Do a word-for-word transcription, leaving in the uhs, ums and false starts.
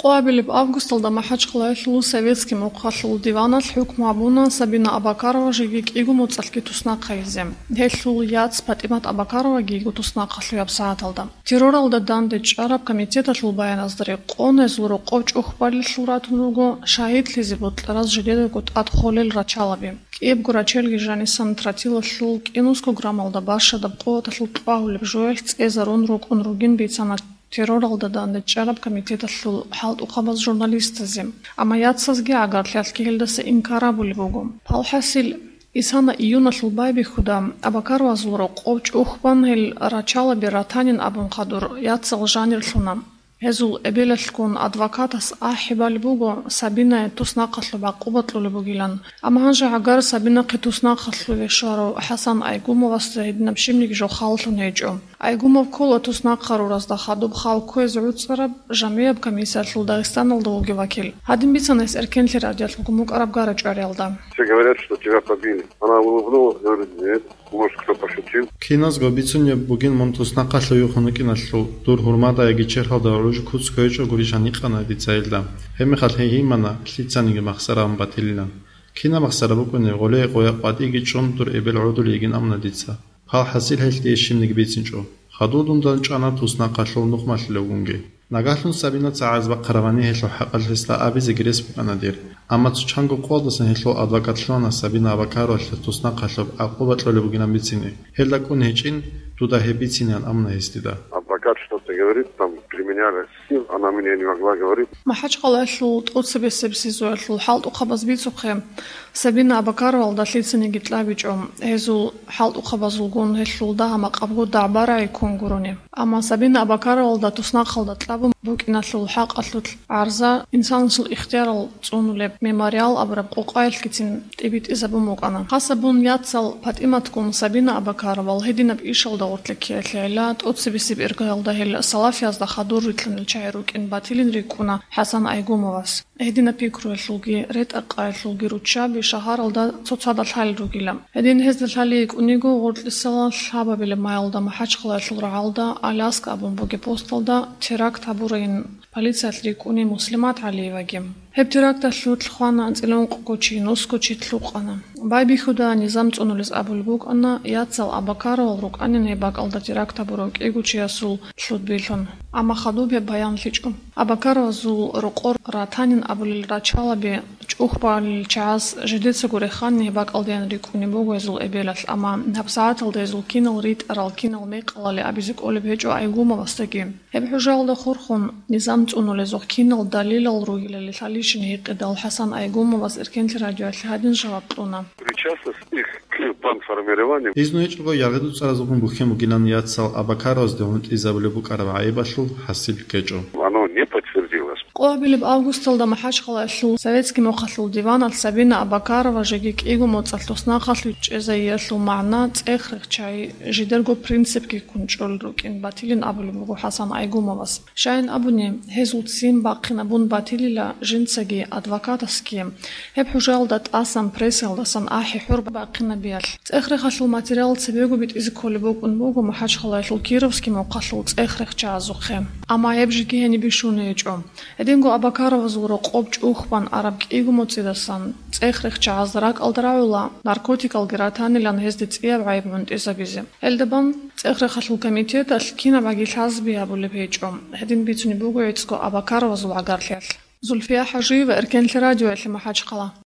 Къоабилеб августалда МахӀачхъалаялъул советский мухъалъул диваналъ хӀукму гьабуна Сабина Абакарова жеги кӀиго моцӀалъги туснахъайзе. Гьелъул яц ПатӀимат Абакароваги йиго туснахъалъуй гьабсагӀаталда. Терроралда данде чӀараб комитеталъул баяназда рекъон, гьезул рокъов чӀухӀбалилъул ратун руго шагьидлъизе бокьараз жидедаго тӀад холел рачалаби. КӀиябго рачелги жанисан тротилалъул кӀинусго граммалда бащадаб къуваталъул кьвагьулеб жоялъ цӀезарун рукӀун ругин бицана терроралда данде чӀараб комитеталъул хӀалтӀухъабаз журналистазе. Амма яцазги гӀагарлъиялъги гьелдаса инкар гьабулеб буго. Палхасил, исана июналъул байбихьуда Абакаровазул рокъов чӀухӀбан гьел рачалаби ратанин абун хадур яцал жанирлъуна. Гьезул эбелалъгун адвокатас ахӀи балеб буго Сабинае туснахъалъуб гӀакъуба кьолеб бугилан. Амма гьанже гӀагар Сабинахъе туснахъалъуве щварав ХӀасан Айгумовасда гьединаб щибниги жо халлъун гьечӀо. Айгумов ккола туснахъаруразда хадуб хал кквезе гӀуцӀараб жамгӀияб комиссиялъул Дагъистаналда вугев вакил. Гьадин бицана гьес Эркенлъи радиоялъ бугун букӀараб гара-чӀвариялда. Все говорят, что тебя побили. Она улыбнулась, говорит: «Нет, может, кто пошутил?» Киназго бицунеб бугин мун туснахъалъув вихьун вукӀиналъул, дур гьурмада яги черхалда гӀуж куц кквечӀо гури жаникъана дица гьелда. Гьебмехалъ гьей гьимана лъицаниги махсаравун батилилан. Кинаб махсара букӀунеб, гъоле къоя къватӀиги чӀун дур эбел гӀодулей йигин амуна дица. Гьал хӀасил гьелъ дие щибниги бицинчӀо. Хадуб дундан чӀана туснахъалъул нухмалъулевгунги. Нагагьлъун Сабина цагӀаз бахъарабани гьелъул хӀакъалъ гьесда абизеги рес букӀана дир. Амма цо чанго къоялдасан гьелъул адвокат лъугьана Сабина Абакаровалъе туснахъалъуб гӀакъуба кьолеб бугилан бицине. Гьелда кӀун гьечӀин, дуда гьеб бицинеян амуна гьес дида. Адвокат что-то говорит, там применяли сил, она мне не могла говорить. МахӀачхъалаялъул тӀоцебесеб СИЗОялъул хӀалтӀухъабаз бицухъе, Сабина Абакаровалда лъицаниги кьабичӀо, гьезул хӀалтӀухъабазулгун гьелъул дагьа-макъабго дагӀба-рагӀи ккун гурони. Амма Сабина Абакаровалда туснахъалда кьабун букӀиналъул хӀакъалъулъ гӀарза инсанасул ихтиярал цӀунулеб «Мемориал» абураб къокъаялъгицин тӀибитӀизабун букӀана. Хасабун яцал ПатӀиматгун Сабина Абакаровал гьединаб ишалда гъоркье ккеялъе гӀела, тӀоцебесеб иргаялда гьел салафиязда хадур рилълъанел чагӀи рукӀин батилин рикӀкӀуна ХӀасан Айгумовас. Гьединаб пикруялъулги ретӀа-къаялъулги руччаби шагьаралда цоцазда лъалел ругила. Гьедин гьезда лъалей йикӀуниго, гъоркьисала лъабабилеб майалда МахӀачхъалаялъул рагӀалда Аляска абун бугеб посталда теракт гьабурайин полициялъ рикӀкӀуни Муслимат ГӀалиеваги. Гьеб теракталъулъ хвана анцӀила ункъго чи, нусго чи лъукъана. Байбихьуда низам цӀунулез абулеб букӀана, яцал Абакаровал рукӀанин гьеб бакӀалда теракт гьабурав кӀиго чиясул лъудбилъун. Амма хадуб гьеб баянлъичӀо. Абакаровазул рокъор ратанин абулел рачалаби чӀухӀбалил чагӀаз жидецаго реханин гьеб бакӀалдаян рикӀкӀунеб буго гьезул эбелалъ, амма гьабсагӀаталда гьезул кинал ритӀарал, кинал мекъалали абизе кӀолеб гьечӀо Айгумовасдаги. Гьеб хӀужаялда хурхун, низам цӀунулезухъ кинал далилал ругелали лъалищин гьикъидал, ХӀасан Айгумовас Эркенлъи радиоялъе гьадин жаваб кьуна. Причастность их к бандформированию. Изну гьечӀого яргъи-дуцӀаразухъун бухьен бугилан яцал Абакаровазде гьунтӀизабулеб букӀараб гӀайибалъул хӀасил ккечӀо. Оно не подтвердилось. Къоабилеб августалда МахӀачхъалаялъул советский мухъалъул диваналъ Сабина Абакарова жеги кӀиго моцӀалъ туснахъалъуй чӀезайиялъул магӀна цӀех-рехчай, жидерго принципги ккун чӀолел рукӀин батилин абулеб буго ХӀасан Айгумовас. Щайин абуни, гьезул ццин бахъинабун батилила жинцаги адвокатасги гьеб хӀужаялда тӀасан прессаялдасан ахӀи-хӀур бахъинабиялъ. ЦӀех-рехалъул материал цебего битӀизе кколеб букӀун буго МахӀачхъалаялъул Кировский мухъалъул цӀех-рехчагӀазухъе. Амма гьеб жеги гьениб бищун гьечӀо. Гьединго Абакаровазул рокъоб чӀухӀбан араб кӀиго моцӀидасан цӀех-рехчагӀазда ракӀалда рагӀула наркотикалги ратанилан гьезде цӀияб гӀайиб гӀунтӀизабизе. Гьелда бан цӀех-рехалъул комитеталъ кинаб гӀаги лъазаби гьабулеб гьечӀо. Гьедин бицунеб буго гӀицӀго Абакаровазул гӀагарлъиялъ. Зульфия ХӀажиева, Эркенлъи радиоялъе, МахӀачхъала.